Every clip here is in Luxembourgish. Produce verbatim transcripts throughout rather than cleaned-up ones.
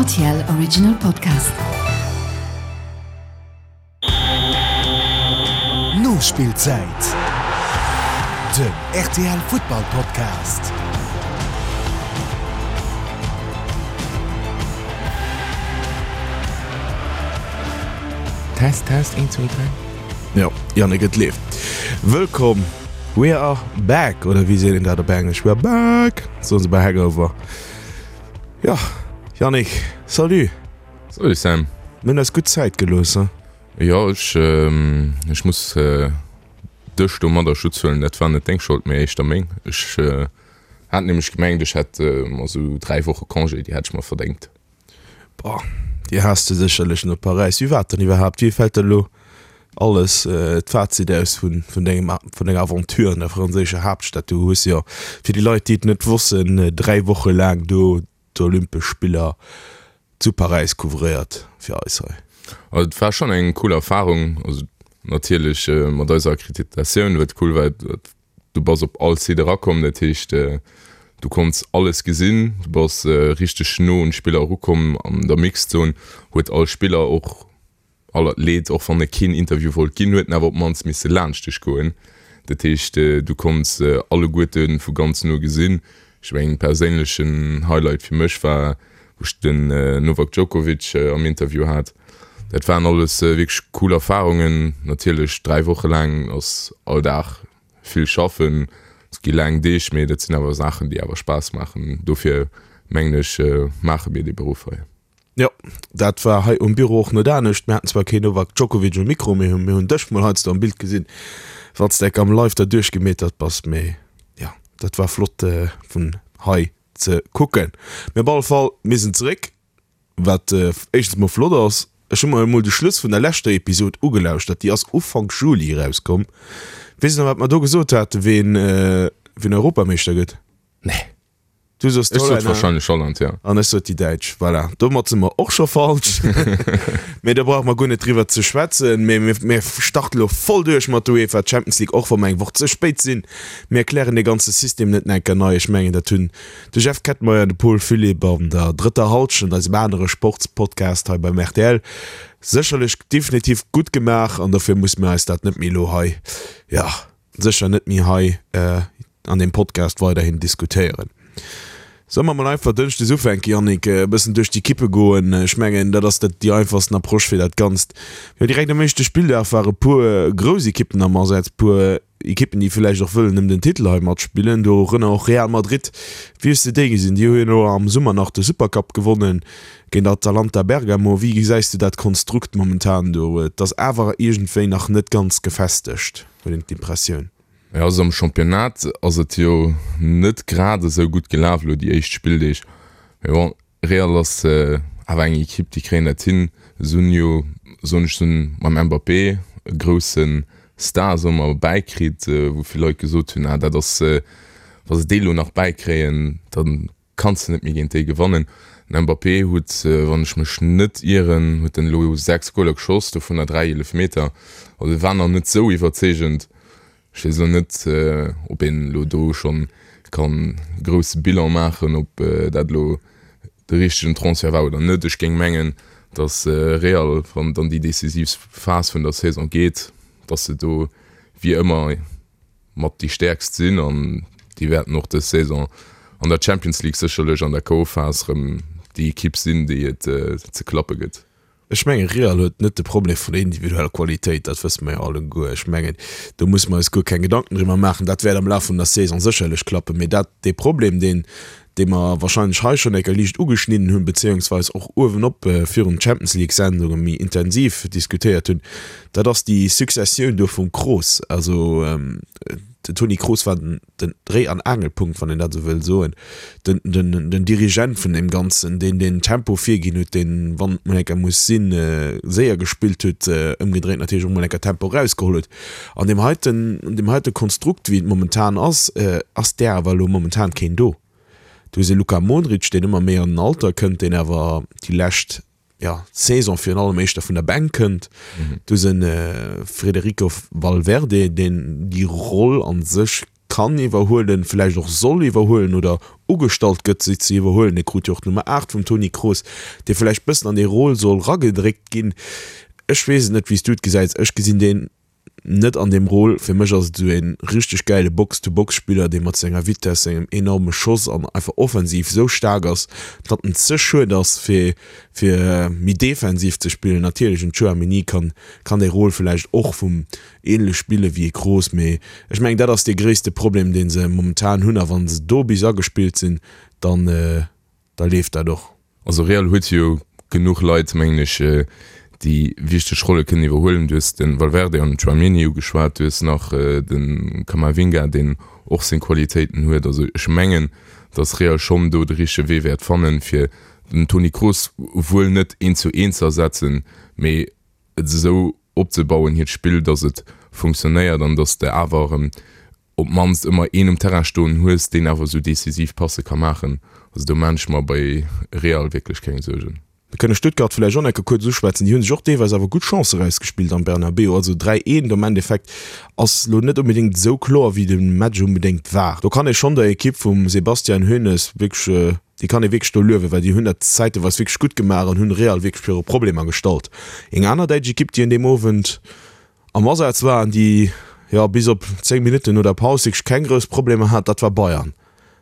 R T L Original Podcast. Nospillzäit, den R T L Futtball Podcast. Test, Test, een, zwee, dräi. Jo, Yannick, et leeft. Wëllkomm, we are back, oder wéi seet een dat op Englesch? We are back, soen se bei Hangover. Jo, Yannick, salut. Salut Sam. Mir hunn eis gutt Zäit gelooss, he? Jo, ech, ech muss dech domadder Schutz huelen, dat war net deng Schold, mee éischter meng. Ech hat nämlech gemengt, ech hätt mer esou dräi Woche Congé, déi hätt ech mer verdéngt. Boah, déi has de sécherlech no Paräis. Wéi war et dann iwwerhaapt? Wéi fält der elo alles d'Fazit aus vun vun dengem vun denger Aventure an der franséischer Haaptstad? Du hues jo, fir déi Leit, déi et net wossten, dräi Woche laang do d'Olympesch Spiller zu Paräis couvréiert fir eis hei. Also et war schonn eng cool Erfarung. Also natierlech mat eiser Akkreditatioun, wat cool war, du bass op all Site erakomm, dat heescht du konns alles gesinn, du bass richteg no un d'Spiller erukomm. An der Mixed Zone huet all Spiller och all Athlet, och wann e keen Interview wollt ginn, huet en awer op d'mannst misse laanscht dech goen. Dat heescht du konns alleguerte vu ganz no gesinn. Ech mengen perséinlechen Highlight fir mech war wou ech den Novak Djokovic am Interview hat. Dat waren alles wierklech cool Erfarungen. Natierlech dräi Woche laang ass all Dag vill schaffen, et gi laang Deeg, mee dat sinn awer Saachen déi awer Spaass maachen. Dofir mengen ech maache mir dee Beruff hei. Jo, dat war hei um Büro och net anescht. Mir haten zwar keen Novak Djokovic um Mikro, mee mir hunn dech mol heiansdo am Bild gesinn, wann s de enk am Live derduerch gemetert bass. Mee jo, dat war flott vun hei ze kucken. Mee op alle Fall, mir sinn zeréck, wat éischtens mol flott ass. Ech hu mer emol de Schluss vun der leschter Episod ugelauschtert, déi ass Ufank Juli erauskomm. Weess de nach, wat mer do gesot haten, ween, ween Europameeschter gëtt? Nee. Du soss Ech sot d'Hollänner. wahrscheinlech Holland, ja. An ech sot déi Däitsch. Voilà, domat si mer och scho falsch. Mee do brauche mer guer net driwwer ze schwätzen. Mee mir, mir starten elo voll duerch mat der UEFA Champions League, och wa mer eng Woch ze spéit sinn. Mir erklären dee ganze System net nach eng Kéier nei. Ech mengen, dat hunn de Jeff Kettmeyer an de Paul Philipp an der drëtter Halschent, eisem anere Sportspodcast hei beim R T L, sécherlech definitiv gutt gemaach. An dofir musse mir eis dat net méi elo hei, ja, sécher net méi hei an deem Podcast weiderhin diskutéieren. Solle mer mol einfach dënschdes ufänken, Yannick, e bëssen duerch d'Ekippe goen? Ech mengen, dat ass dat déi einfachsten Approche fir dat Ganzt. Jo, direkt am éischte Spilldag ware puer grouss Ekippen am Asaz, puer Ekippen, déi villäicht och wëllen ëm den Titel hei matspillen, dorënner och Real Madrid. Wéi hues de déi gesinn? Déi hu jo elo am Summer nach de Supercup gewonnen géint Atalanta Bergamo. Wéi gesäis du dat Konstrukt momentan do? Et ass awer iergendwéi nach net ganz gefestegt, huet een d'Impressioun. Jo, also am Championnat ass et jo net grad esou gutt gelaf elo déi éischt Spilldeeg. Mee bon, Real ass awer eng Ekipp, déi kréien dat hin. Se hunn jo, soen ech, se hunn mam Mbappé e grousse Star, soe mer, bäikritt, wou vill Leit gesot hunn, ah dat ass, wa se dee lo nach bäikréien, da kanns de net méi géint déi gewannen. Den Mbappé huet, wann ech mech net ieren, huet en elo sechs Goler geschoss, dovunner dräi Eelefmeter. Also e war nach net esou iwwerzeegend. Ech weess elo net, ob een elo do schonn kann e grousse Bilan maachen, ob dat elo de richtegen Transfert war oder net. Ech géing mengen, datt Real, wann et an déi decisiv Phas vun der Saison geet, datt se do wéi ëmmer mat déi Stäerkst sinn an déi wäerten och dës Saison an der Champions League sécherlech an der K O. Phas erëm déi Ekipp sinn, déi et ze klappe gëtt. Ech mengen, Real huet net de Problem vun der individueller Qualitéit, dat wësse mer jo alleguer. Ech mengen, do musse mer eis guer keng Gedanken driwwer maachen. Dat wäert am Laf vun der Saison sécherlech klappen. Mee dat, dee Problem, deen, dee mer wahrscheinlech hei schonn eng Kéier liicht ugeschnidden hunn, beziéungsweis och uewenop virun Champions League-Sendunge méi intensiv diskutéiert hunn, dat ass déi Successioun do vum Kroos. Also den Toni Kroos war den, den Dréi an Aangelpunkt, wann een dat esou wëll soen, den, den, den Dirigent vun deem Ganzen, deen den Tempo virginn huet, deen, wann et mol eng Kéier muss sinn, séier gespillt huet, ëmgedréint natierlech och mol eng Kéier Tempo erausgeholl huet. An deem heiten, an deem heite Konstrukt, wéi et momentan ass, ass där awer elo momentan keen do. Du hues e Luka Modric, deen ëmmer méi an den Alter kënnt, deen awer déi lescht, ja, Saison virun allem éischter vun der Bänk kënnt. Du hues e Federico Valverde, deen déi Roll a sech kann iwwerhuelen, vläicht och soll iwwerhuelen oder ugestallt gëtt, se ze iwwerhuelen. E krut jo och d'Nummer aacht vum Toni Kroos, dee vläicht bëssen an déi Rôle soll ragedréckt ginn. Ech weess et net, wéi s du et gesäis. Ech gesinn deen net an deem Rôle. Fir mech ass et esou e richteg gäile Box-to-Box-Spiller, dee mat senger Vitess, sengem enorme Schoss an einfach offensiv esou staark ass, datt en ze schued ass, fir fir méi defensiv ze spillen. Natierlech en Tchouaméni kann kann dee Rôle vläicht och vum ähnlech spille wéi e Kroos, mee ech mengen dat ass dee gréisste Problem, dee se momentan hunn a wa se do bis agespillt sinn, dann da leeft dat och. Also Real huet jo genuch Leit, mengen ech, déi wichteg Rolle kënnen iwwerhuelen. Du hues de Valverde an den Tchouaméni ugeschwat, du hues nach de Camavinga, deen och seng Qualitéiten huet. Also ech mengen, datt Real schonn do de richtege Wee wäert fannen, fir den Toni Kroos wuel net eent zu eent ze ersetzen, mee et esou opzebauen, hiert Spill, datt et funktionéiert an datt s de awer erëm op d'mannst ëmmer een um Terrain stoen hues, deen awer esou decisiv Passe ka maachen. Also do maan ech mer bei Real wierklech keng Suergen. Mir kënne Stuttgart vläicht och nach eng Kéier kuerz uschwätzen. Déi hu sech och deelweis awer gutt Chancë erausgespillt am Bernabéu. Also dräi eent am Endeffekt ass elo net onbedéngt esou kloer, wéi de Match onbedéngt war. Do kann ee schonn der Ekipp vum Sebastian Hoeneß wierklech, déi kann ee wierklech do luewen, well déi hunn dat zäiteweis wierklech gutt gemaach an hunn Real wierklech viru Problemer gestallt. Eng aner däitsch Ekipp, déi un deem Owend am Asaz war an déi, jo, bis op zéng Minutten no der Paus wierklech keng grouss Problemer hat, dat war Bayern.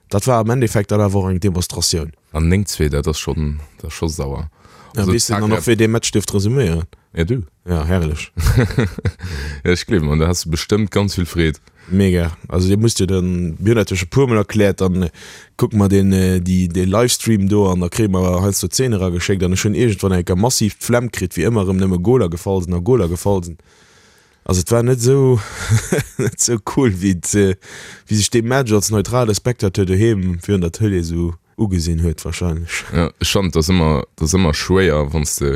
Dat war am Endeffekt dann awer och eng Demonstratioun. An néng zwee, dat ass schonn, dat ass scho sauer. Ja, weess de dann och, wéi dee Match dierft resuméieren? Ja, du. Ja, herrlech. Ja, ech gleewen, an da has de bestëmmt ganz vill Freed. Mega. Also dir musst jo dann, mir hunn dat jo scho puer mol erkläert, dann kucke mer deen, déi, dee Livestream do an da kréie mer heiansdo Zeene erageschéckt an ech hunn iergendwann eng Kéier massiv d'Flemm kritt, wéi ëmmer erëm nëmme Goler gefall sinn a Goler gefall sinn. Also et war net esou net esou cool wéi et wéi sech dee Match als neutrale Spectateur doheem virun der Tëlee esou ugesinn huet wahrscheinlech. Jo, ech fannen et ass ëmmer, et ass ëmmer schwéier wann s de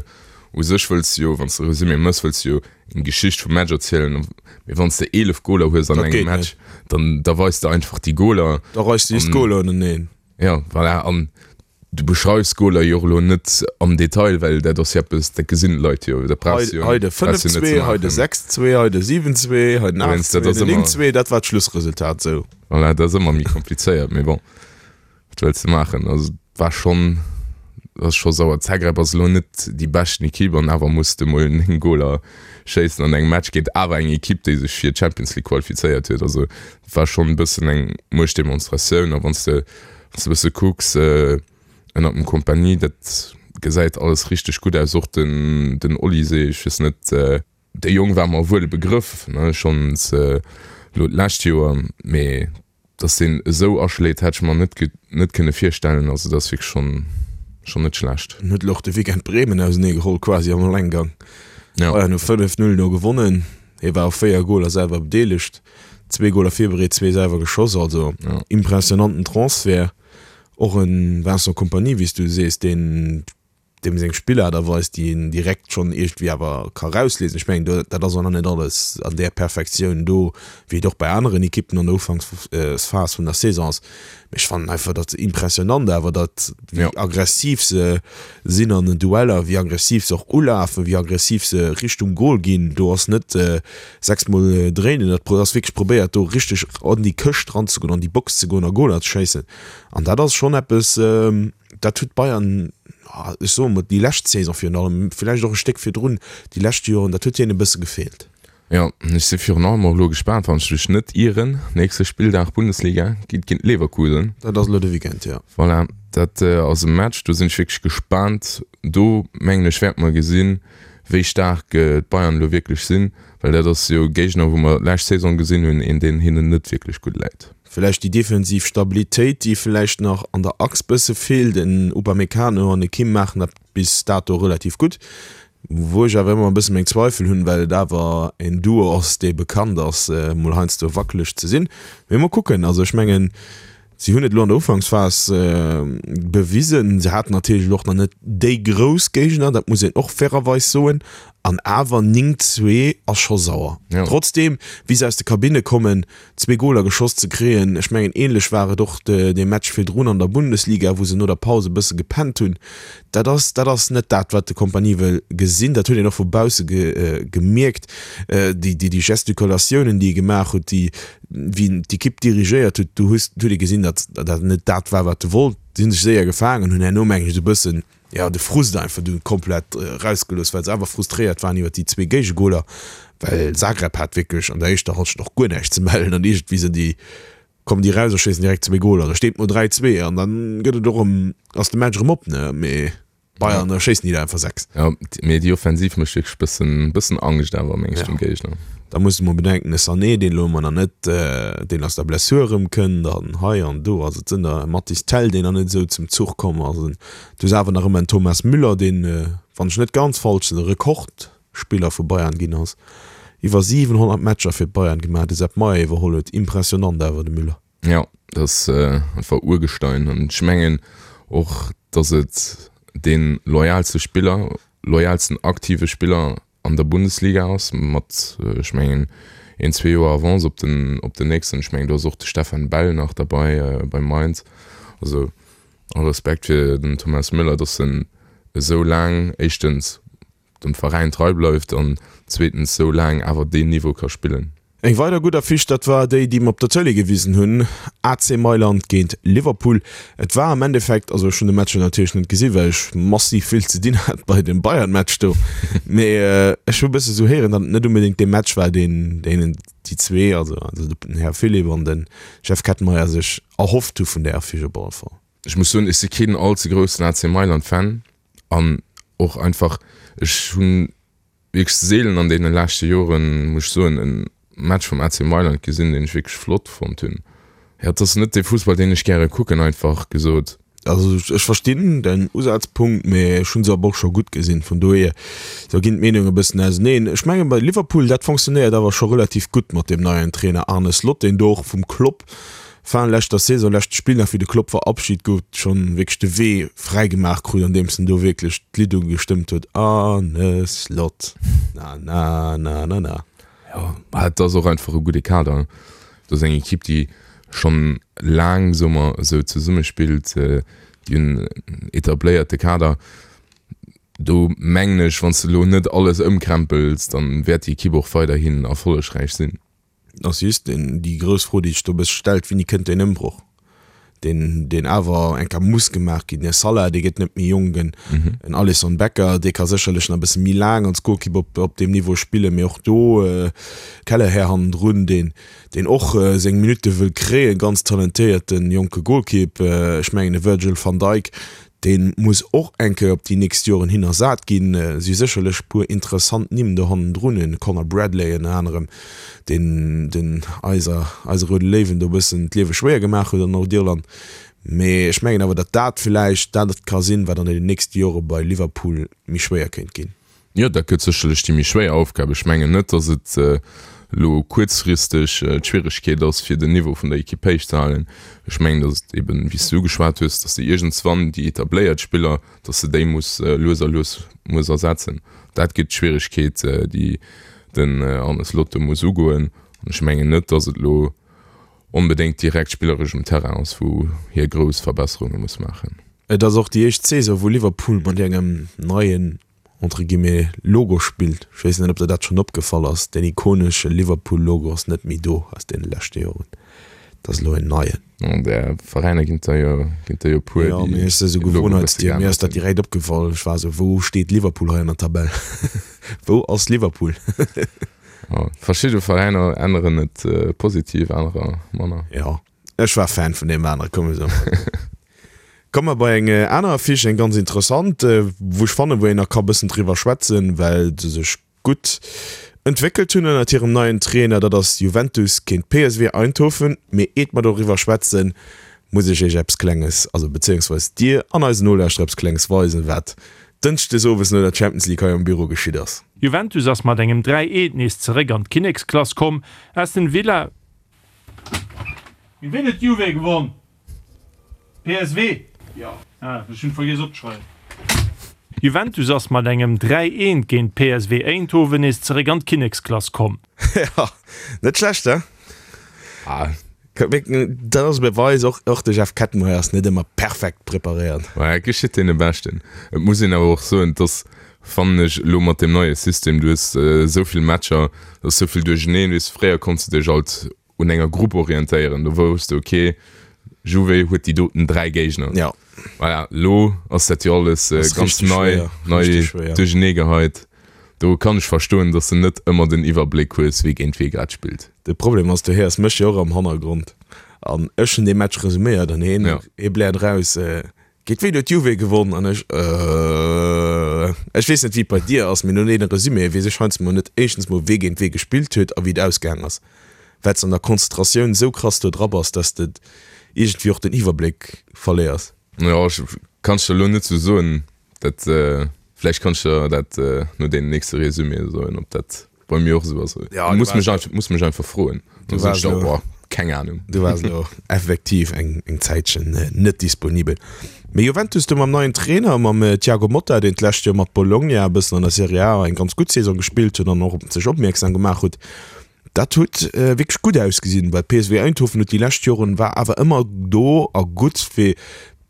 u sech wëlls jo, wann s de Resumé mëss, wëlls jo eng Geschicht vum Match erzielen, mee wann s de eelef Goler hues an engem Match, dann da weis de einfach déi Goler. Da reis de just d'Goler uneneen. Jo, voilà, an Du beschreifs d'Goler jo och elo net am Detail, well dat ass jo eppes, dat gesinn d'Leit jo, dat brauchs du jo Hei de fënnef zwee, hei de sechs zwee, hei de siwen zwee, hei den aacht zwee, den néng zwee, dat war d'Schlussresultat esou. Voilà, dat ass ëmmer méi komplizéiert, mee bon, wat wëlls de maachen? Also et war schonn, ass scho sauer. Zagreb ass elo net déi beschten Ekipp an awer muss de mol néng Goler schéissen an engem Match géint awer eng Ekipp, déi sech fir d'Champions League qualifizéiert huet. Also et war schonn e bëssen eng Muechtdemonstratioun a wann s de Wann s de e bësse kucks, ënnert dem Kompany, dat gesäit alles richteg gutt aus. Och den, den Olise, ech weess net, dee Jong war mer wuel e Begrëff, ne, schonns elo d'lescht Joer, mee dass deen esou aschléit, hätt ech mer net, net kënne virstellen. Also dat ass wierklech schonn, schonn net schlecht. En huet elo och de Weekend Bremen auseneegeholl, quasi am Allenggang. Bayern hu fënnef Null do gewonnen. Hie war u véier Goler selwer bedeelegt. Zwee Goler virbereet, zwee selwer geschoss, also impressionanten Transfert. Och e Vincent Kompany, wéi s du sees, deen deem seng Spillaart a Weis, déi een direkt schonn iergendwéi awer ka rausliesen. Ech mengen, dat ass och nach net alles an där Perfektioun do, wéi et och bei aneren Ekippen an der Ufanksphas vun der Saison ass. Mee ech fannen einfach dat impressionant awer, datt wéi aggressiv se sinn an den Dueller, wéi aggressiv se och ulafen, wéi aggressiv se Richtung Gol ginn. Do ass net sechs Mol dréinen, dat ass wierklech probéiert do richteg an déi Këscht ranzegoen, an déi Box ze goen a Goler ze schéissen. An dat ass schonn eppes, dat huet Bayern, ech soe mol déi lescht Saison virun allem, villäicht och e Stéck virdrun, déi lescht Joren, dat huet hinnen e bësse gefeelt. Jo, ech si virun allem och elo gespaant, wann ech mech net ieren, nächste Spilldag Bundesliga geet géint Leverkusen. Dat ass elo de Weekend, jo. Voilà, dat ass e Match, do sinn ech wierklech gespaant. Do mengen ech wäerte mer gesinn, wéi staark d'Bayern elo wierklech sinn, well dat ass jo e Géigner, wou mer d'lescht Saison gesinn hunn, een deen hinnen net wierklech gutt läit. Villäicht déi defensiv Stabilitéit, déi villäicht nach an der Achs bësse feelt. Den Upamecano an de Kim maachen dat bis dato relativ gutt. Wou ech awer ëmmer e bësse meng Zweifel hunn, well et awer en Duo ass, dee bekannt ass, mol heiansdo wackeleg ze sinn. Mee mol kucken. Also ech mengen, si hunn et elo an der Ufanksphas bewisen. Se haten natierlech elo och nach net déi grouss Géigner, dat muss een och fairerweis soen. An awer néng zwee ass scho sauer. Ja. Trotzdem, wéi se aus de Kabinne kommen, zwee Goler geschoss ze kréien, ech mengen ähnlech war et och de, dee Match virdrun an der Bundesliga, wou se no der Paus e bësse gepennt hunn, dat ass, dat ass net dat, wat de Kompany wëll gesinn. Dat huet een och vu bausse ge, gemierkt, déi, déi, déi Gestikulatiounen, déi e gemaach huet, déi, wéi en d'Ekipp dirigéiert huet, do hues, huet ee gesinn, datt dat net dat war, wat e wollt. Si hunn sech séier gefaangen, hunn herno, mengen ech, esou e bëssen, jo, de Frust einfach dunn komplett erausgelooss, well se awer frustréiert waren iwwer déi zwee Géigegoler, well Zagreb hat wierklech an der éischter Halschent och guer näischt ze mellen an iergendwéi sinn déi, kommen déi eraus a schéissen direkt zwee Goler. Da steet et mol dräi zwee an dann gëtt et och erëm, ass de Match erëm op, ne? Mee Bayern, da schéissen déi der einfach sechs. Jo, mee déi Offensiv mécht wierklech bëssen, bëssen Angscht awer, meng ech, dem Géigner. Da muss de mol bedenken, de Sané, deen elo ëmmer nach net, deen aus der Blessur erëmkënnt an hei an do, also et sinn der, e Mathys Tel, deen nach net esou zum Zuch komm ass, en du hues awer nach ëmmer en Thomas Müller, deen, wann ech net ganz falsch sinn, de Rekordspiller vu Bayern ginn ass, iwwer siwenhonnert Matcher fir d'Bayern gemaach, de Sepp Maier iwwerholl huet, impressionant awer de Müller. Jo, dat ass einfach Urgestein an ech mengen och, datt et dee loyalste Spiller, loyalsten aktive Spiller an der Bundesliga ass, mat, ech mengen, een, zwee Joer Avance op den, op den nächsten. Ech mengen, do ass och de Stefan Bell nach derbei bei Mainz. Also all Respekt fir den Thomas Müller, dass en esou laang éischtens dem Veräin trei bleift an zweetens esou laang awer deen Niveau ka spillen. Eng weider gutt Affiche, dat war déi, déi mer op der Tëlee gewisen hunn, A C Mailand géint Liverpool. Et war am Endeffekt, also ech hunn de Match jo natierlech net gesinn, well ech massiv vill ze dinn hat bei dem Bayern-Match do, mee ech hu e bësse sou héieren, datt et net onbedéngt dee Match war, deen deenen déi zwee, also den Här Philipp an de Jeff Kettenmeyer sech erhofft hu vun där Affiche op alle Fall. Ech muss soen, ech si keen all ze groussen A C Mailand-Fan an och einfach, ech hunn wierklech seelen an deene leschte Joren, muss ech soen, e Match vum A C Mailand gesinn, deen ech wierklech flott fonnt hunn. Jo, et ass net dee Fussball, deen ech gäre kucken, einfach gesot. Also ech verstinn däin Usazpunkt, mee ech hunn se awer och scho gutt gesinn, vun dohier, do ginn d'Meenungen e bëssen auseneen. Ech mengen bei Liverpool, dat fonctionnéiert awer scho relativ gutt mat deem neien Trainer Arne Slot, deen do och vum Klopp Fin leschter Saison, leschte Spill nach wéi de Klopp verabschit gouf, schonn wierklech de Wee fräi gemaach krut, andeems en do wierklech d'Lidd ugestëmmt huet, Arne Slot, na na na na na. Jo, mä et ass och einfach e gudde Kader. Et ass eng Ekipp, déi schonn laang, soe mer esou, zesummespillt, déi hunn en etabléierte Kader. Do mengen ech, wann s de elo net alles ëmkrempels, dann wäert déi Ekipp och weiderhin erfollegräich sinn. Ass just déi grouss Fro, déi sech do e bësse stellt, Wéini kënnt deen Ëmbroch, deen, deen awer eng Kéier muss gemaach ginn? Den Salah, dee gëtt net méi jonk, en, en Alisson Becker, dee ka sécherlech nach e bësse méi laang als Golkipp op, op deem Niveau spillen, mee och do Kelleher hannendrun, deen, deen och seng Minutte wëll kréien, ganz talentéierten jonke Golkipp. Ech mengen, e Virgil van Dijk, Dee muss och eng Kéier op déi nächst Joren hin ersat ginn. Si sécherlech e puer interessant Nimm do hannendrun, en Conor Bradley ënner anerem, deen den eiser, eise Roude Léiwen do e bëssen d'Liewe schwéier gemaach huet an Nordirland. Mee ech mengen awer, datt dat villäicht dat ka sinn, wat an den nächste Jore bei Liverpool méi schwéier kéint ginn. Jo, dat gëtt sécherlech déi méi schwéier Aufgab. Ech mengen net, datt et elo kuerzfristeg d'Schwieregkeet ass, fir den Niveau vun der Ekipp héich ze halen. Ech mengen, datt et eben, wéi s de ugeschwat hues, datt de iergendswann déi etabléiert Spiller, datt de déi muss lues a lues muss ersetzen. Dat gëtt d'Schwieregkeet, déi den Arne Slot do muss ugoen. An ech mengen net, datt et elo onbedéngt direkt spilleresch um Terrain ass, wou hie grouss Verbesserunge muss maachen. Et ass och déi éischt Saison, wou Liverpool mat engem neien entre guillemets, Logo spillt. Ech weess net, ob der dat schonn opgefall ass, deen ikonesche Liverpool-Logo ass net méi do aus deene leschte Joren. Et ass elo en neien. An där Veräiner ginn et der jo, ginn et der jo e puer, Jo, mee déi ech si sou de Logo e bësse Gewohnheitsdier, mir geännert ass dat hunn. direkt opgefall. Ech war esou, Wou steet Liverpool hei an der Tabell? Wou ass Liverpool? Jo, verschidde Veräiner änneren et positiv, anerer manner. Jo, ech war Fan vun deem anere, komm, esou. Komme mer bei eng aner Affiche, eng ganz interessant, wou ech fannen, wou een nach ka bëssen driwwer schwätzen, well se sech gutt entwéckelt hunn ënnert hirem neien Trainer. Dat ass Juventus géint P S V Eindhoven. Mee eet mer doriwwer schwätzen, muss ech iech eppes Klenges, also bezéiungsweis dir an eisen Nolauschterer eppes Klenges weisen, wat dënschdes owes no der Champions League hei am Büro geschitt ass. Juventus ass mat engem dräi Eent nees zeréck an d'Kinneksklass komm. Aston Villa. Géint ween huet d'Juve gewonn? P S V? Jo. Ah, ech hunn vergiess opzeschreiwen. Juventus ass mat engem dräi eent géint P S V Eindhoven nees zeréck an d'Kinneksklass komm. Ja, net schlecht, he? Ah. Dat ass e Beweis, och, och de Jeff Kettenmeyer ass net ëmmer perfekt preparéiert. Ma et geschitt deene Beschten. Et muss een awer och soen, dass, fannen ech, elo mat deem neie System, du hues esou vill Matcher, et ass esou vill duercheneen, weess, fréier konns de dech alt un enger Grupp orientéieren, do wousst de, okay, Juve huet déi doten dräi Géigner. Ja. Voilà, elo ass dat jo alles Ass ganz richtig nei, schwéier, nei richtig schwéier. duerchenee geheit. Do kann ech verstoen, dass de net ëmmer den Iwwerbléck hues, wie géint wie grad spillt. De Problem ass, du héiers mech jo och am Hannergrond an ech hunn dee Match resuméiert an hien, Ja. hie bläert raus, Géint wien huet d'Juve gewonn? An ech, Äh, ech weess net, wéi et bei dir ass, mee no deene Resuméë weess ech heiansdo mol net éischtens mol, wee géint wee gespillt huet a wéi et ausgaang ass, well s de an der Konzentratioun esou krass do dra bass, dass de iergendwéi och den Iwwerbléck verléiers. Jo, ech kann ech der elo net sou soen. Dat, vläicht kann ech der dat no deenen nächste Resuméë soen, ob dat bei mir och esou ass. Ja, du Muss waars mech einfach, muss mech einfach froen. Du Dann sot waars ech der, elo boah, keng Ahnung. Du waars elo effektiv eng, eng Zäitchen net disponibel. Mee Juventus do mam neien Trainer, mam Thiago Motta, deen d'lescht Joer mat Bologna e bëssen an der Serie A eng ganz gutt Saison gespillt huet an och op sech opmierksam gemaach huet, dat huet wierklech gutt ausgesinn, well P S V Eindhoven huet déi lescht Joren, war awer ëmmer do a gutt fir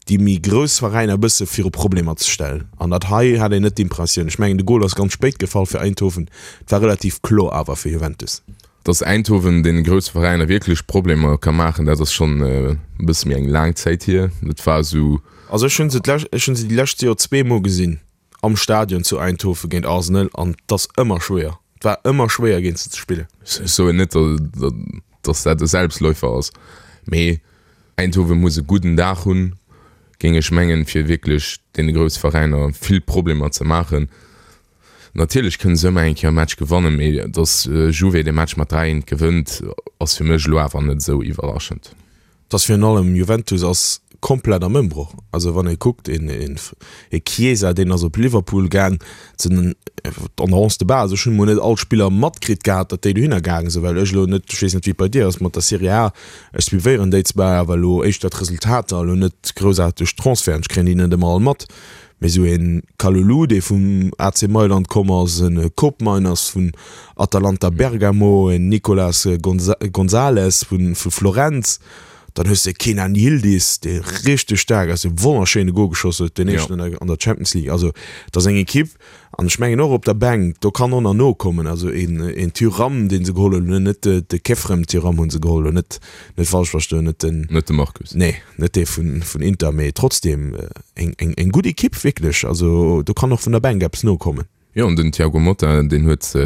déi méi grouss Veräiner e bësse viru Problemer ze stellen. An dat hei hat een net d'Impressioun. Ech mengen, de Gol ass ganz spéit gefall fir Eindhoven. Et war relativ kloer awer fir Juventus. Dass Eindhoven deene grousse Veräiner wierklech Problemer ka maachen, dat ass schonn e bësse méi eng laang Zäit hier. Dat war esou. Also ech hunn se d'lescht, ech hunn se déi lescht Joer zwee Mol gesinn am Stadion zu Eindhoven géint Arsenal an et ass ëmmer schwéier. Et war ëmmer schwéier géint se ze spillen. Ech soen net, dass dat e Selbstläufer ass, mee Eindhoven muss e gudden Dag hunn, géing ech mengen, fir wierklech deene grousse Veräiner vill Problemer ze maachen. Natierlech kënne se ëmmer eng Kéier e Match gewannen, mee dass Juve dee Match mat dräi eent gewënnt, ass fir mech elo awer net esou iwwerraschend. Dass virun allem Juventus ass komplett am Ëmbroch. Also wann ee kuckt, een, een, ee Chiesa, deen ass op Liverpool gaang, sinn an der Onze de base. Ech hunn emol net all d'Spiller matkritt gehat, datt déi dohinner gaange sinn, well ech elo net, ech weess net wéi et bei dir ass mat der Serie A, ech suivéieren déi zwar, awer elo éischter d'Resultater, elo net groussaarteg d'Transferten, ech kréien déi net ëmmer all mat. Mee esou een Kalulu, dee vum A C Mailand komm ass, en Koopmeiners vun Atalanta Bergamo, en Nicolas Gonzalez vu Florenz, dann hues de Kenan Yildiz, dee richteg staark ass, dee wonnerschéine Gol geschoss huet, deen éischten an der Champions League. Also et ass eng Ekipp, an ech mengen och op der Bänk, do kann och nach nokommen. Also een, een Thuram, dee se geholl hunn, net de Khéphren Thuram hu se geholl, net, net falsch verstoen, net den. Net de Marcus. Nee, net dee vun, vun Inter, mee trotzdeem eng, eng, eng gutt Ekipp wierklech. Also do kann och vun der Bänk eppes nokommen. Jo, an den Thiago Motta, deen huet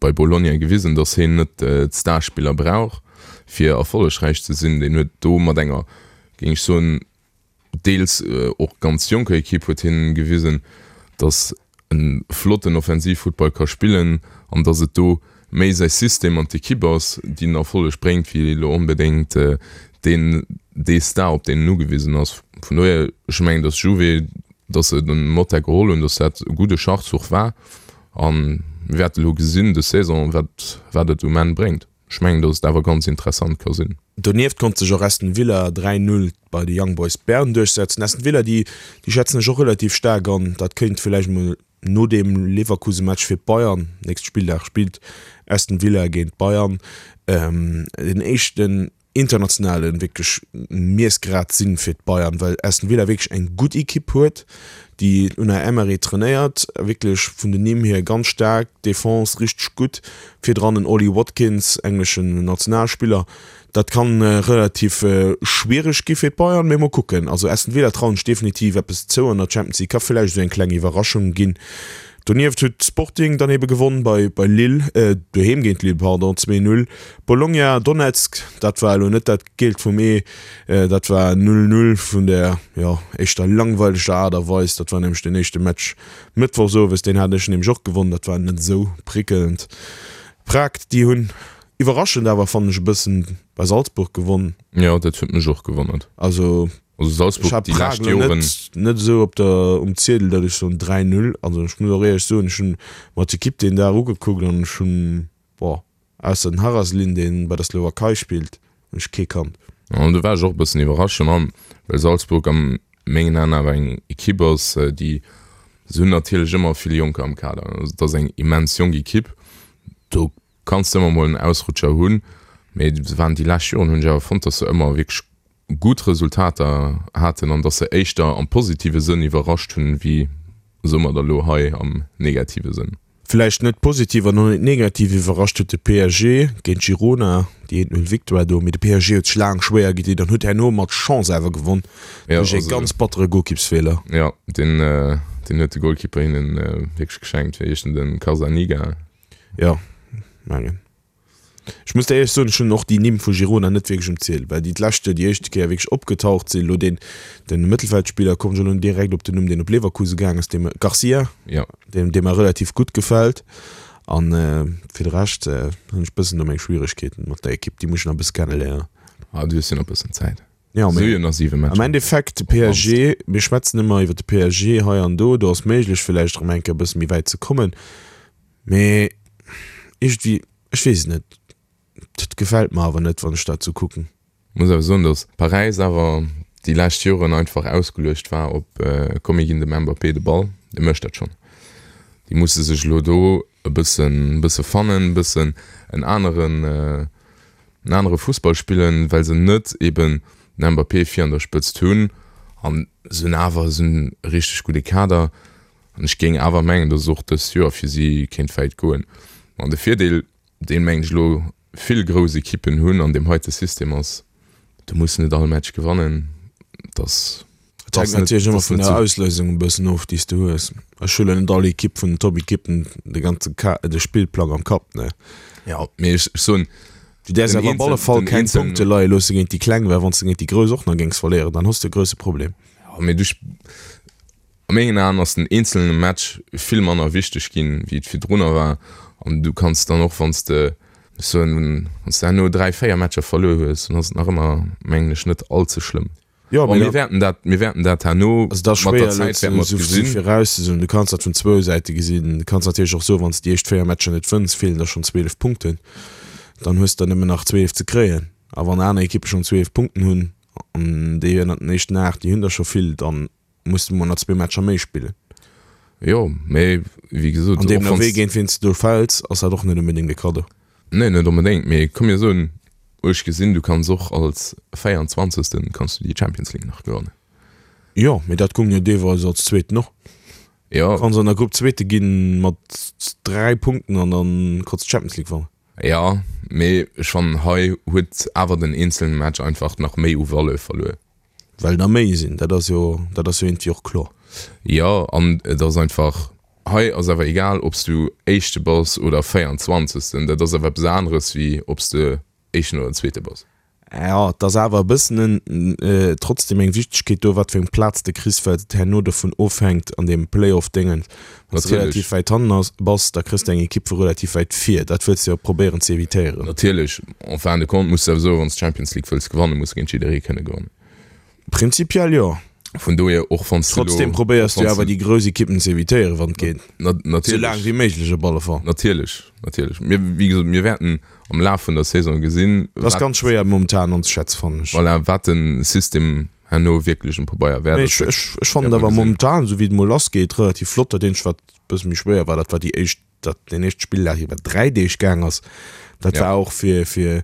bei Bologna gewisen, datt hien net d'Starspiller brauch, fir erfollegräich ze sinn. Deen huet do mat enger, géing ech soen, deels och ganz jonker Ekipp huet hien gewisen, datt en flotten Offensivfuttball ka spillen an datt et do méi säi System an d'Ekipp ass, déi den Erfolleg bréngt, wéi elo onbedéngt deen dee Star, op deen en ugewisen ass. Vun dohier, ech mengen, datt Juve, datt se den Motta geholl hunn, datt dat e gudde Schachzuch war a mir wäerte elo gesinn des Saison, wat wat et um Enn bréngt. Ech mengen, datt et awer ganz interessant ka sinn. Donieft konnt sech och Aston Villa dräi Null bei de Young Boys Bern duerchsetzen. Aston Villa, déi déi schätzen ech och relativ staark an. Dat kéint villäicht mol no deem Leverkusen-Match fir d'Bayern, nächste Spilldag spillt Aston Villa géint d'Bayern, den éischten internationale wierklech Miessgrad sinn fir d'Bayern, well Aston Villa wierklech eng gutt Ekipp huet, déi Unai Emery trainéiert, wierklech vun den Nimm hier ganz staark, Defense richteg gutt, virdran en Ollie Watkins, engleschen Nationalspiller. Dat kann relativ schwiereg gi fir d'Bayern, mee mol kucken. Also Aston Villa trauen ech definitiv eppes zou an der Champions League, ka villäicht esou eng kleng Iwwerraschung ginn. Donieft huet Sporting dann ebe gewonn bei bei Lille, doheem géint Lille, pardon, zwee Null. Bologna, Donetsk, dat war elo net dat Geelt vum Ee, dat war null Null vun der, jo, éischter langweileger Aart a Weis. Dat war nämlech den éischte Match mëttwochs owes, deen hat ech nämlech och gewonn, dat war net esou prickelnd. Prag, déi hunn iwwerraschend awer, fannen ech, e bëssen bei Salzburg gewonn. Jo, dat huet mech och gewonnert. Also Also Salzburg ech hat déi Prag lescht elo Joren. net, net esou op der, um Ziedel, datt ech soen dräi Null. Also ech muss och éierlech soen, ech hunn mer d'Ekipp deen Dag ugekuckt an ech hunn, boah, ausser den Haraslin, dee bei der Slowakei spillt, hunn ech kee kannt. An do war ech och e bëssen iwwerrascht, well Salzburg a mengen Aen awer eng Ekipp ass, déi Se hunn natierlech ëmmer vill Jonker am Kader. Also et ass eng immens jonk Ekipp. Do kanns de ëmmer mol en Ausrutscher hunn. Mee se waren déi lescht Joren, hunn ech awer fonnt, datt se ëmmer wierklech gutt Resultater haten an datt se éischter am positive Sënn iwwerrascht hunn, wéi soe mer da lo hei am negative Sënn. Villäicht net positiv an och net negativ iwwerrascht huet de P S G géint Girona, déi eent Null Victoire do, mee de P S G huet sech laang schwéier gedinn an huet herno mat Chance awer gewonn duerch ee ganz battere Golkippsfeeler. Jo, deen deen huet de Golkipper hinnen wierklech geschenkt. Wéi heescht en, den Carzaniga? Jo, mengen. Ech muss der éierlech soen, ech hunn och déi Nimm vu Girona net wierklech um Ziel, well déi d'lescht Joer déi éischte Kéier wierklech opgetaucht sinn. Elo deen, den Mëttelfeldspiller, komm ech elo net direkt op den Numm, deen op Leverkusen gaang ass, dee mer, Garcia, Ja. deen, dee mer relativ gutt gefält. An fir de Rescht hunn ech bëssen do meng Schwieregkeeten mat der Ekipp, déi muss ech nach e bësse kenneléieren. Ah, du hues jo nach e bëssen Zäit. Jo, Si mee hu jo nach siwe am Matcher. Endeffekt, de Op d'mannst. P S G, mir schwätzen ëmmer iwwer de P S G hei an do, do ass méiglech villäicht erëm eng Kéier e bësse méi wäit ze kommen, mee iergendwéi, Ech weess et net, dat gefält mer awer net wann ech dat sou kucken. Muss awer soen, datt Paräis awer déi lescht Joren einfach ausgeluecht war op komm mir ginn dem Mbappé de Ball, dee mécht dat schonn. Déi musse sech elo do e bëssen bësse fannen, e bëssen en aneren en anere Fussball spillen, well se net eben den Mbappé vir an der Spëtzt hunn an se hunn awer se hunn e richteg gudde Kader an ech géing awer mengen, datt och dëst Joer fir si kéint wäit goen. An de Virdeel, deen, mengen ech, elo vill grouss Ekippen hunn an deem heite System ass, du muss net all Match gewannen. Et ass Et hänkt natierlech ëmmer vun der Auslousung e bëssen of, déi s de hues. Ech hu lo net all Ekipp vun den Top-Ekippen de ganze Ka de Spillplang am Kapp, ne. Jo, mee ech soen, Du däerfs awer op alle Fall keng Punkte leie loosse géint déi Kleng, well wann s de géint déi Grouss och nach géings verléieren, dann hues de e grousse Problem. Jo, mee du A mengen Aen ass den eenzelne Match vill manner wichteg ginn, wéi et virdrunner war. An du kanns dann och, wann s de, ech soen, wann s de herno dräi, véier Matcher verluer hues, dann ass et nach ëmmer, mengen ech, net all ze schlëmm. Jo, Bon, mee mir wäerten dat, mir wäerten dat herno Also et ass mat der schwéier elo Zäit wäerte mer et ze gesinn. virauszesoen. Du kanns dat vun zwou Säite gesinn. Du kanns natierlech och soen, wann s de déi éischt véier Matcher net wënns, feelen der schonn zwielef Punkten. Dann hues de der nëmmen nach zwielef ze kréien. A wann aner Ekippe schonn zwielef Punkten hunn, an déi ënnert den éischten aacht, déi hunn der scho vill, dann muss de mol nach zwee Matcher méi spillen. Jo, mee wéi gesot, An och deemno wann wéi s. géint wien s de do fäls, ass dat och net onbedéngt e Kaddo. Nee, net onbedéngt, mee komm mir soen, ech gesinn, du kanns och als Véierundzwanzegsten kanns du déi Champions League nach gewannen. Jo, mee dat goung jo deelweis als Zweeten och. Jo. Kanns an der Grupp Zweete ginn mat dräi Punkten an dann kanns d'Champions League wannen. Jo, mee ech fannen hei huet awer den eenzelne Match einfach nach méi u Valeur verluer. Well der méi sinn, dat ass jo, dat ass jo iergendwéi och kloer. Jo, an et ass einfach, hei ass awer egal, ob s du Éischte bass oder Véierundzwanzegsten, dat ass awer eppes aneres wéi ob s de Éischten oder Zweete bass. Jo, et ass awer e bëssen en, trotzdem eng Wichtegkeet do, wat fir eng Plaz de kriss, well et herno dovun ofhänkt an deem Playoff-Déngens. Wann s de relativ Natierlech. wäit hannen ass, bass, da kriss de eng Ekipp vu relativ wäit vir. Dat wëlls de jo probéieren ze evitéieren. Natierlech, en fin de compte muss de awer soen, wann s de d'Champions League wëlls gewannen, muss de géint jidderee kënne gewannen. Prinzipiell jo. Vun dohier, och wann s de elo, Trotzdem och probéiers du wann s awer de. déi grouss Ekippen ze evitéieren, wann et geet. Na, Sou laang natierlech. wéi méiglech op alle Fall. Natierlech, natierlech. Mir, wéi gesot, mir wäerten am Laf vun der Saison gesinn, Dat ass wat, ganz schwéier momentan anzeschätzen, fannen ech. voilà, wat de System herno wierklech um Pabeier wäert Mee ass. ech, Dat ech, ech fannen wäerte et mer awer gesinn. momentan, sou wéi et mol lassgeet, relativ flott. Dat eenzegt, wat e bësse méi schwéier war, dat war déi éischt, dat deen éischte Spilldag iwwer dräi Deeg gaang ass. Dat Ja. war och fir, fir,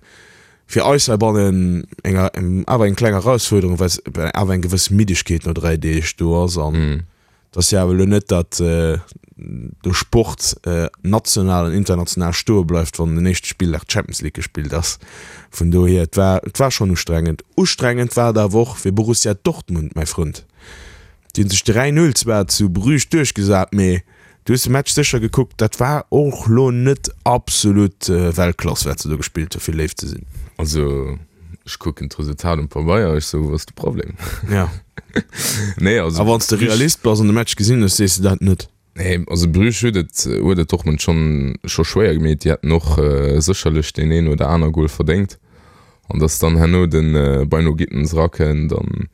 fir eis heibannen eng, awer eng kleng Erausfuerderung, well well awer eng gewëss Middegkeet no dräi Deeg do ass. An Mhm. et ass jo awer elo net, datt de Sport national an international stoe bleift, wann den éischte Spilldag d'Champions League gespillt ass. Vun dohier, et war, et war schonn ustrengend. Ustrengend war et awer och fir Borussia Dortmund, mäi Frënd. Déi hunn sech dräi Null zwar zu Bruges duerchgesat, mee du hues de Match sécher gekuckt, dat war och lo net absolut Weltklass, wat se do gespillt hu fir léif ze sinn. Also ech kucken d'Resultat um Pabeier, ech sou, wou ass de Problem? Ja. Nee, also A wann s de Bruges, Realist bass an de Match gesinn hues, sees de dat net. nee, also Bruges huet et, huet et Dortmund schonn, scho schwéier gemeet. Déi hätten och sécherlech deen een oder aner Gol verdéngt. An dass dann herno de Bynoe Gittens erakënnt an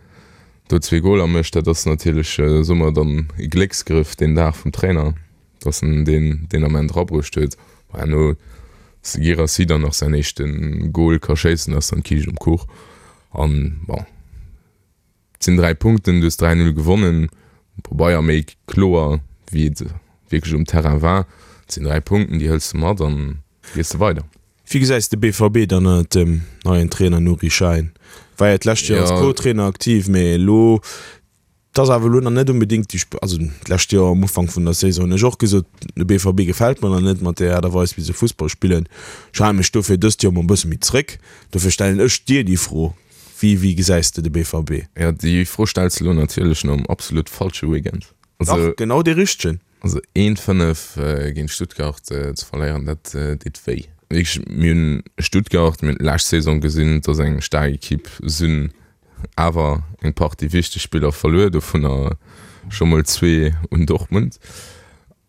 do zwee Goler mécht, dat ass natierlech, soe mer dann, e Glécksgrëff deen Dag vum Trainer, dass en deen deen Ament erabruecht huet. Bon, herno, dass de Guirassy dann nach säin éischte Gol ka schéissen, ass dann d'Kiischt um Kuch. An bon, et sinn dräi Punkten, du hues dräi Null gewonnen, Pabeier méi kloer wéi et wierklech um Terrain war. Et sinn dräi Punkten, déi hëls de mat an gees de weider. Wéi gesäis de BVB dann ënnert dem neien Trainer Nuri Sahin? War jo d'lescht Joer als Co-Trainer aktiv, mee elo, et ass awer elo nach net onbedéngt déi, also d'lescht Joer am Ufank vun der Saison hunn ech och gesot, de BVB gefält mer nach net mat där Aart a Weis wéi se Fussball spillen. Ech hale mech dofir dëst Joer mol e bësse méi zréck. Dofir stellen ech dir déi Fro, Wéi, wéi gesäis de de BVB? Jo, déi Fro stells de elo natierlech nom absolut falsche Weekend. Dach, genau dee richtegen. Also een fënnef géint Stuttgart ze verléieren, dat deet wéi. Wierklech, mir hunn Stuttgart, mir hunn d'lescht Saison gesinn, et ass eng staark Ekipp, se hunn awer eng Partie wichteg Spiller verluer, dovunner scho mol zwee un Dortmund.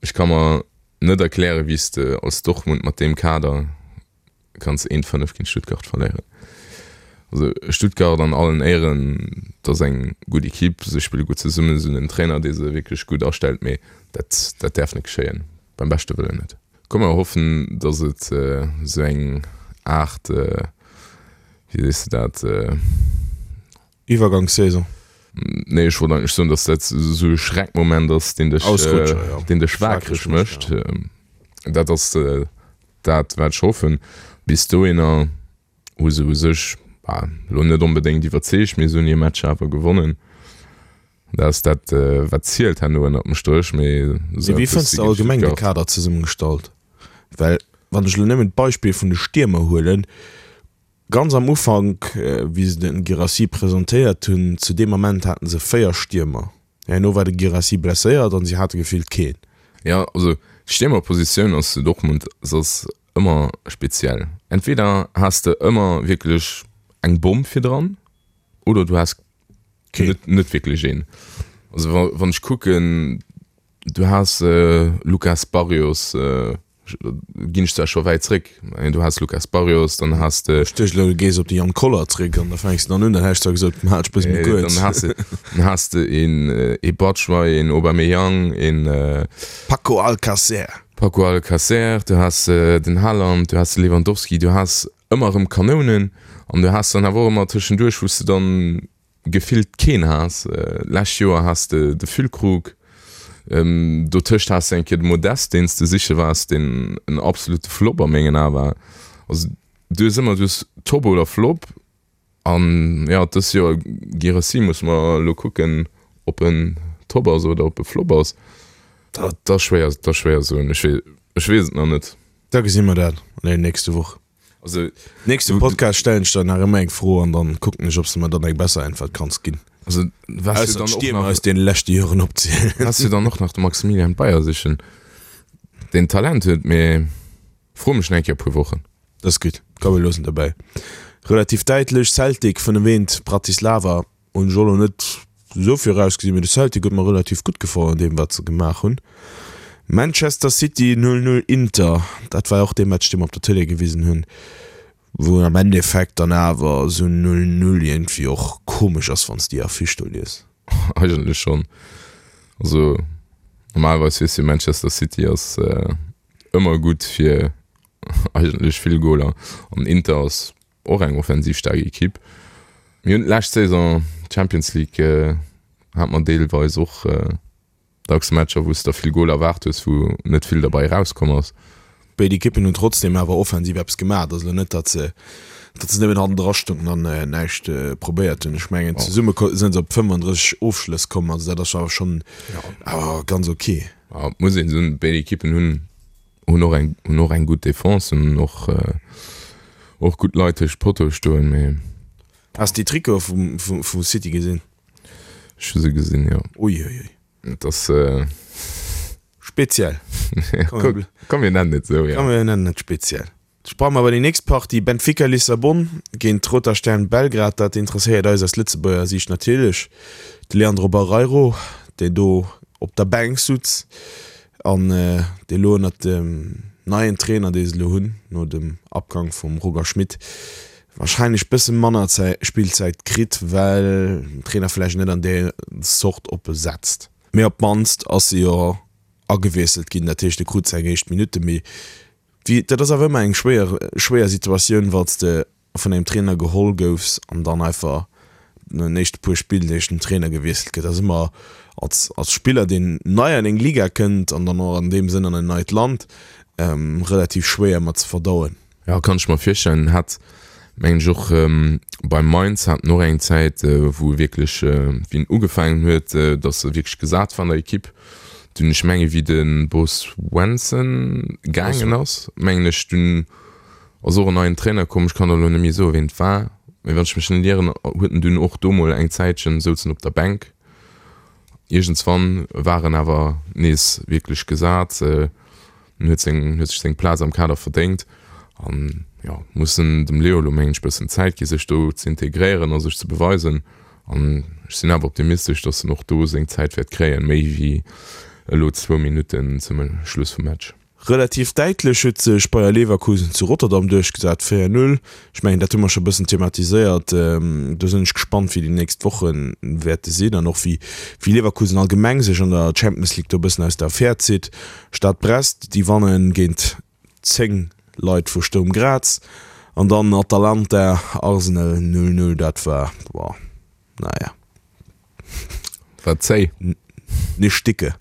Ech ka mer net erklären, wéi s de als Dortmund mat deem Kader kanns eent fënnef géint Stuttgart verléieren. Also Stuttgart an allen Éieren, dat ass eng gutt Ekipp, se spille gutt zesummen, se hunn en Trainer, dee se wierklech gutt astellt, mee dat, dat däerf net geschéien, beim beschte Wëllen net. Komm mer hoffen, datt et esou eng Aart, wéi sees de dat? Iwwergangssaison. Nee, ech wollt eigentlech soen, datt dat esou e Schreckmoment ass, deen dech, deen dech waakreg mécht. Dat ass dat, wat ech hoffen. Bis dohinner hu se u sech, bah, elo net onbedéngt iwwerzeegt, mee se hunn hir Matcher awer gewonnen. Dat ass dat, wat zielt herno ënnert dem Stréch. Mee esou Wéi fënns de allgemeng de Kader zesummegestallt? Well wann ech elo nëmmen d'Beispill vun de Stiermer huelen, ganz am Ufank, wéi se de Guirassy presentéiert hunn, zu deem Ament haten se véier Stiermer. Herno war de Guirassy blesséiert an si hate gefillt keen. Jo, also d'Stiermerpositioun ass zu Dortmund, se ass ëmmer speziell. Entweder has de ëmmer wierklech eng Bomm virdran oder du has net, net wierklech een. Also wa, wann ech kucken, du has Lucas Barrios, ginn ech zwar scho wäit zréck, mä du has Lucas Barrios, dann has de. Ech duecht elo, du gees op de Jan Koller zréck an da fänks de dann un, dann hätt ech zwar gesot, hal dech e bësse méi kuerz. Dann has de, dann has de een, ee Batshuayi, een Aubameyang, een. Paco Alcacer. Paco Alcacer, du has den Haaland, du has de Lewandowski, du has ëmmer erëm Kanounen an du has dann awer och ëmmer tëschenduerch, wou s de dann gefillt keen has. Lescht Joer has de de Füllkrug, dotëscht has de eng Kéier de Modeste, deen s de siche waars, deen en absolute Flop a mengen Ae war. Also du hues ëmmer, du hues Top oder Flop an jo, dëst Joer Guirassy musse mer elo kucken, ob en Top ass oder ob e Flop ass. Dat ass schwéier, dat ass schwéier soen. Ech ech weess et nach net. Da gesi mer dat an der nächste Woch. Also nächste Podcast stellen ech der nach ëmmer eng Fro an dann kucken ech, ob s de mer dann eng besser Äntwert kanns ginn. Also was jo dann och nach aus deene leschte Joren opzielen. Was jo dann och nach de Maximilian Beier sichen, deen Talent huet, mee fro mech nach eng Kéier e puer Wochen. Dat ass gutt, komm mir loossen dobäi. Relativ däitlech, Celtic fënnef eent Bratislava. Hunn ech och lo net esou virausgesinn, mee de Celtic huet mer relativ gutt gefall an deem wat se gemaach hunn. Manchester City null null Inter, dat war och dee Match dee mer op der Tëlee gewisen hunn, wou am Endeffekt dann awer esou null null iergendwéi och komesch ass wann s de déi Affiche do lies. Eigentlech schonn. Also normalerweis weess jo Manchester City ass ëmmer gutt fir eigentlech vill Goler an Inter ass och eng offensiv staark Ekipp. Mir hunn d'lescht Saison d'Champions League hate mer deelweis och dacks Matcher, wou s de der vill Goler erwaart hues, wou net vill derbei erauskomm ass. Béid Ekippen hunn trotzdeem awer offensiv eppes gemaach. Et ass elo net, datt se datt se nëmmen hannendra stoungen an näischt probéiert hunn. Ech mengen, zesumme sinn se op fënnfandrësseg Ofschlëss komm. Also dat ass awer schonn awer ganz ok. Ja, et muss een soen, béid Ekippen hunn hunn och eng hunn och eng gutt Defense, hunn och och gutt Leit tëscht Pottoe stoen, mee. Has de déi Trikote vum vum vu City gesinn? Ech hu se gesinn, jo. Ui ui ui. Et ass. Speziell. Komm, komm mir nennen et esou, jo. Komm mir nennen et speziell. Sprange mer bei déi nächst Partie, Benfica Lissabon géint Roter Stern Belgrad. Dat interesséiert eis aus Lëtzebuerger Siicht natierlech. De Leandro Barreiro, deen do op der Bänk sutz an dee lo ënnert dem neien Trainer, dee se elo hunn, no dem Abgang vum Roger Schmit, warscheinlech bësse manner Spillzäit kritt, well den Trainer vläicht net an där Zort op e setzt. Mee op d'mannst ass e jo agewiesselt ginn, dat heescht e krut seng éischt Minutte. Mee wéi, dat ass awer ëmmer eng schwéier, schwéier Situatioun, wann s de vun engem Trainer geholl goufs an dann einfach no den éischte puer Spilldeeg den Trainer gewiesselt gëtt. Dat ass ëmmer als, als Spiller, deen nei an eng Liga kënnt an dann och an deem Sënn an en neit Land, relativ schwéier mat ze verdauen. Jo, kann ech mer virstellen. Hat mengen ech och bei Mainz hat en och eng Zäit, wou e wierklech, wéi en ugefaangen huet, datt e wierklech gesat war an der Ekipp. Dunn, ech menge wéi de Bo Svensson gaangen ass, mengen ech, dunn ass och en neien Trainer komm, ech kann der elo net méi soen, ween et war, mee wann ech mech net ieren, huet en dunn och do mol eng Zäitchen souz en op der Bänk. Iergendswann war en awer nees wierklech gesat, en huet seng, huet sech seng Plaz am Kader verdéngt an jo, muss en dem Leo elo mengen ech bëssen Zäit gi sech do ze integréieren a sech ze beweisen an ech sinn awer optimistesch, datt en och do seng Zäit wäert kréien, méi wéi elo zwou Minutten zum Schluss vum Match. Relativ däitlech huet sech Bayer Leverkusen zu Rotterdam duerchgesat, véier Null. Ech mengen, dat hu mer scho e bëssen thematiséiert. Do sinn ech gespannt, wéi déi nächst Woche wäerte sinn an och wéi Leverkusen allgemeng sech an der Champions League do e bëssen aus der Affär zitt. Stad Brest, déi wanne géint zéng Leit vu Sturm Graz. An dann Atalanta, Arsenal null Null, dat war, boah, naja. War zéi. Nicht dicke.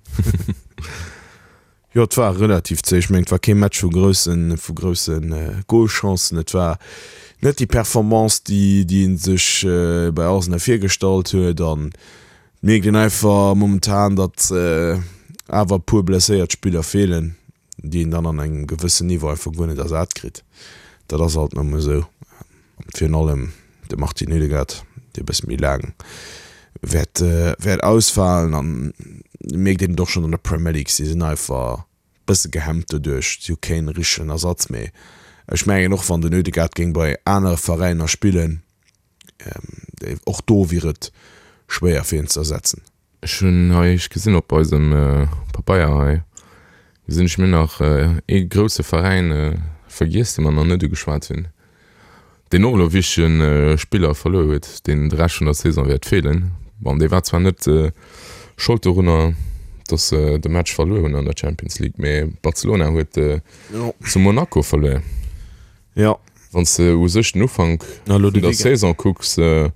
Jo, et war relativ zéi. Ech mengen, et war kee Match vu groussen, vu grousse Golchancen. Et war net déi Performance, déi, déi ee sech bei Arsenal virgestallt huet. An et mierkt een einfach momentan, datt awer e puer blesséiert Spiller feelen, déi een dann an engem gewëssen Niveau einfach guer net ersat kritt. Dat ass alt nëmme esou. Virun allem de Martin Ødegaard, dee e bësse méi laang wäert wäert ausfalen an mierkt een et och schonn an der Premier League, si sinn einfach bësse gehemmt doduerch, si hu keen richtegen Ersatz méi. Ech mengen och wann den Ødegaard géing bei anere Veräiner spillen, och do wier et schwéier fir hien ze ersetzen. Ech hunn hei, ech gesinn op eisem Pabeier hei, gesinn ech mir nach ee grousse Veräin vergiess, dee mer nach net ugeschwat hunn. Deen och elo e wichtege Spiller verluer huet, deen de Rescht vun der Saison wäert feelen. Bon, dee war zwar net Schold dorunner, datt se de Match verluer hunn an der Champions League, mee Barcelona huet zu Monaco verluer. Jo. Wann s de u sech den Ufank vun der Saison kucks an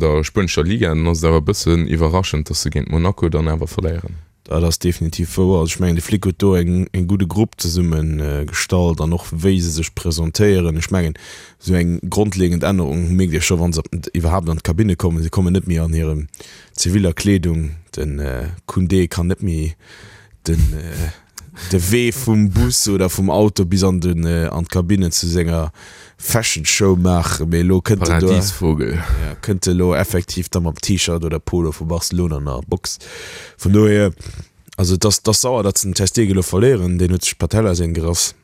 der spuenescher Liga, dann ass et awer e bëssen iwwerraschend, datt se géint Monaco dann awer verléieren. Dat ass definitiv wouer. Also ech mengen, de Flick huet do eng e gudde Grupp zesumme gestallt an och wéi se sech presentéieren. Ech mengen, esou eng grondlegend Ännerung mierkt ee scho wa se iwwerhaapt an d'Kabinne kommen. Si kommen net méi an hirem ziviller Kleedung. De Koundé kann net méi den de Wee vum Bus oder vum Auto bis an den an d'Kabinne zu senger Fashion Show maachen, mee elo kënnt en do, Paradiesvogel. ja, kënnt e lo effektiv da mam T-Shirt oder Polo vu Barcelona an der Box. Vun dohier, also et ass, et ass sauer, datt se den Ter Stegen elo verléieren, deen huet sech d'Patellasehn gerass.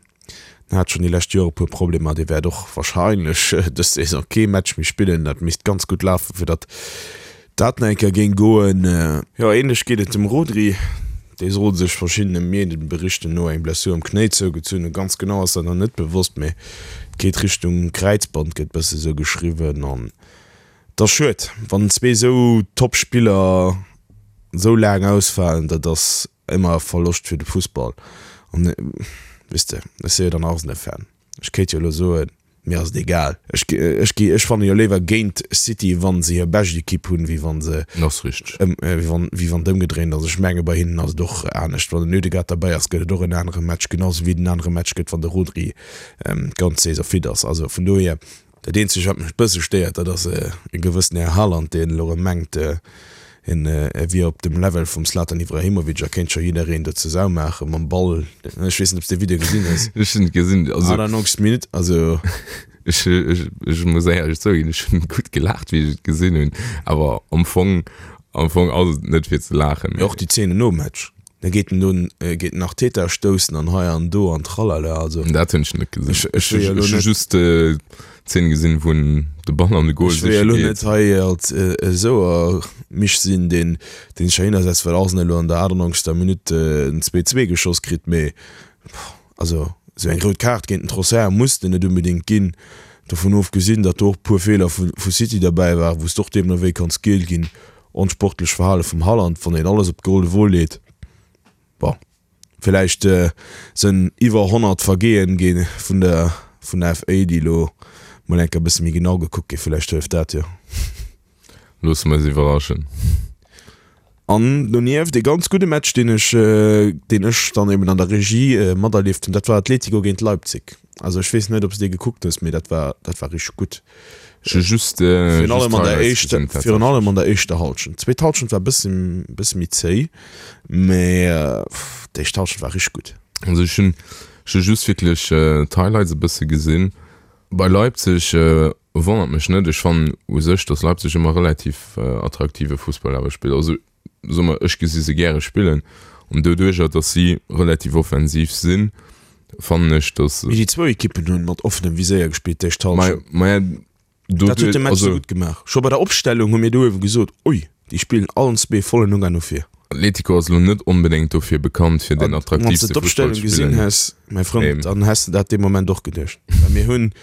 En hat schonn déi lescht Joer e puer Problemer, dee wäert och wahrscheinlech dës Saison kee Match méi spillen. Dat misst ganz gutt lafen, fir datt dat nach eng Kéier géing goen. Jo, ähnlech geet et dem Rodri. Dee soll sech verschiddene Medienberichten no eng Blessur um Knéi zougezunn hunn. Ganz genau ass dat nach net bewosst, mee et geet Richtung Kräizband, gëtt bësse sou geschriwwen. An et ass schued, wann zwee sou Top-Spiller sou laang ausfalen. Dat ass ëmmer e Verloscht fir de Fussball. An weess de, ech si jo dann Arsenal-Fan, ech kéint jo elo soen, Mir ass et egal. Ech, ech gi, ech fanne jo léiwer géint City, wann se hir bescht Ekipp hunn, wéi wann se, Ass richteg. ëm, wéi wann, wéi wann et ëmgedréint ass. Ech menge bei hinnen ass et och anescht. Wann den Ødegaard derbäi ass, gëtt et och en anere Match, genau sou wéi et en anere Match gëtt, wann de Rodri d'ganz Saison fit ass. Also vun dohier, dat eenzegt wat mech e bësse stéiert, dat ass e gewëssen Här Haaland, deen elo erëm mengt, Hien wier op dem Level vum Zlatan Ibrahimovic a kéint scho jiddereen do zur Sau maache mam Ball. Ech weess net, ob s de de Video gesinn hues. Ech hunn et gesinn. Also, achtundneunzeg. Minutt, also. Ech, ech, ech muss éierlech zouginn, ech hunn gutt gelaacht, wéi ech et gesinn hunn. Awer am Fong, am Fong ass et net fir ze laachen. Mee och déi Zeenen nom Match, da geet en do, geet en Arteta stoussen an hei an do an tralala, also. Dat hunn ech net gesinn. Ech, ech wëll jo elo Ech hu net. just Zeen gesinn, wou en de Ball an de Goal Ech wëll jo siche elo geet. net hei als esou e Misch sinn, deen deen sech heihinner setzt, well Arsenal elo an der achtundneunzegster Minutt en zwee zwee geschoss kritt, mee also esou eng rout Kaart géint den Trossard muss de net unbedéngt ginn. Dovun ofgesinn, datt do och e puer Feeler vu vu City derbäi waren, wou s de och deemno wéi kanns giel ginn. Onsportlech Verhale vum Haaland, wann een alles op d'Golde Wo leet. Bon. Villäicht sënn iwwer honnert Vergehen gi vun der vun der F A, déi elo mol eng Kéier e bësse méi genau gekuckt ginn. Villäicht hëlleft dat jo. Loosse mer eis iwwerraschen. An donieft ee ganz gudde Match, deen ech, deen ech dann eben an der Regie materlieft hunn, dat war Atletico géint Leipzig. Also ech weess net, ob s de dee gekuckt hues, mee dat war, dat war richteg gutt. Ech hu just, Virun allem just an der d'Highlights éischter, gesinn, virun allem tatsächlech. an der éischter Hallschent. D'zweet Hallschent war e bësse, bësse méi zéi, mee d'éischt Hallschent war richteg gutt. Also ech hunn, ech hu just wierklech d'Highlights e bësse gesinn. Bei Leipzig wonnert mech net. Ech fannen u sech, datt Leipzig ëmmer relativ attraktive Fussball awer spillt. Also soe mer, ech gesi se gäre spillen. An doduercher, datt si relativ offensiv sinn, fannen ech, datt. Mee déi zwou Ekippen hunn mat offenem Viséier gespillt d'éischt Hallschent. Maja, Dat huet de Match esou gutt gemaach. Scho bei der Opstellung hu mir do uewe gesot, ui, déi spillen allen zwee vollen Ugang no vir. Atletico ass elo net onbedéngt dofir bekannt, fir den Wann s de attraktiivste Fussball d'Opstellung ze gesinn spillen. häss, mäi Frënd, dann häss de dat dee Moment och geduecht. Well mir hunn,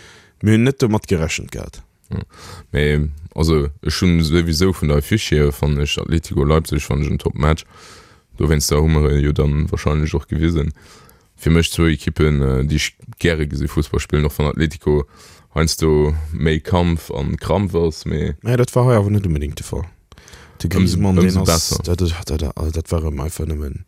mir hunn net domat gerechent gehat. Mee also ech hunn souwisou vun der Affiche hier fannen ech Atletico Leipzig fannen ech en Top Match. Dowéinster hu mer e jo dann wahrscheinlech och gewisen. Fir mech zwou Ekippen, déi ech gäre gesi Fussball spillen, och wann Atletico heiansdo méi Kampf an Krampf ass, mee. Mä dat war hei awer net onbedéngt de Fall. De Griezmann, deen ass, dat, dat, also dat war erëm einfach nëmmen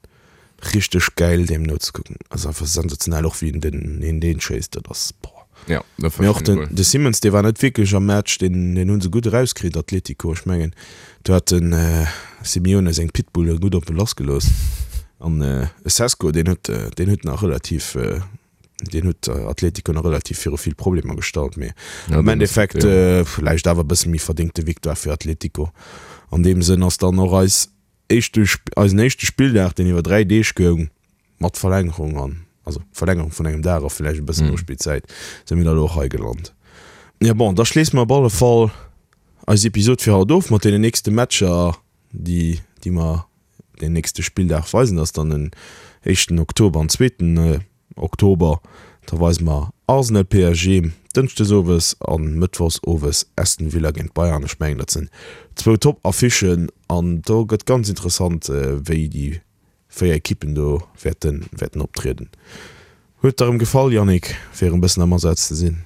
richteg gäil deem nozekucken. Ass einfach sensationell, och wéi en den een deen schéisst, dat ass boah. Ja, dat war Mee och schonn den, cool. de Simmons, dee war net wierklech am Match, deen, deen hu se gutt erauskritt, Atletico. Ech mengen, do hat den Simeone seng Pitbulle gutt op e lassgelooss. An e Sesko, deen huet, deen huet nach relativ, deen huet Atletico nach relativ viru vill Problemer gestallt. Mee Ja, am deen ass Endeffekt ja. vläicht awer e bësse méi verdéngte Victoire fir Atletico. An deem Sënn ass dann och eis éischte, eisen éischte Spilldag, deen iwwer dräi Deeg goung, mat Verlängerung an, also Verlängerung vun engem Dag a vläicht e bëssen Nospillzäit, si mir da elo och hei gelant. Jo bon, da schléisse mer op alle Fall eis Episod fir haut of mat deenen nächste Matcher, déi, déi mer deen nächste Spilldag weisen. Dat ass dann den éischten Oktober an zweeten Oktober. Da weise mer Arsenal PSG dënschdes owes a mëttwochs owes Aston Villa géint Bayern. Ech mengen, dat sinn zwou Top-Affichen an do gëtt ganz interessant, wéi déi véier Ekippen do wäerten, wäerten optrieden. Huet der erëm gefall, Yannick, fir erëm bëssen am Asaz ze sinn?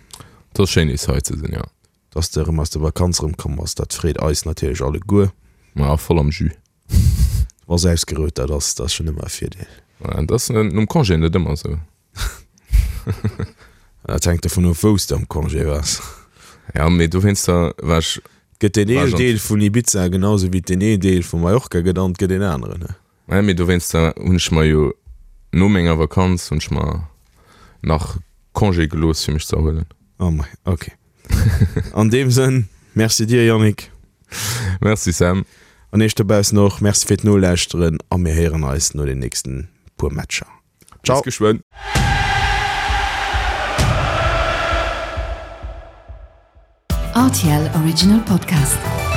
Et ass schéin nees hei ze sinn, jo. Dass de erëm aus der Vakanz erëmkomm bass, dat freet eis natierlech alleguer. Ma voll am Jus. Du bass ausgerout, dat ass, dat ass schonn ëmmer e Virdeel. Dat ass nom Congé net ëmmer esou. Dat hänkt dovun of, wou s de am Congé waars. Ja, mee dowéinster war ech. Gëtt deen een Deel vun Ibiza genau sou wéi deen een Deel vu Mallorca gëtt an et gëtt een aneren, ne? Ja, mee dowéinster hunn ech mer jo no menger Vakanz hunn ech mer nach Congé gelooss fir mech ze erhuelen. Oh mei, ok. An deem Sënn, Merci dir Yannick. Merci Sam. An iech dobaussen och Merci fir d'Nolauschteren a mir héieren eis no den nächsten puer Matcher. Ciao. Bis geschwënn. Rtl Original Podcast.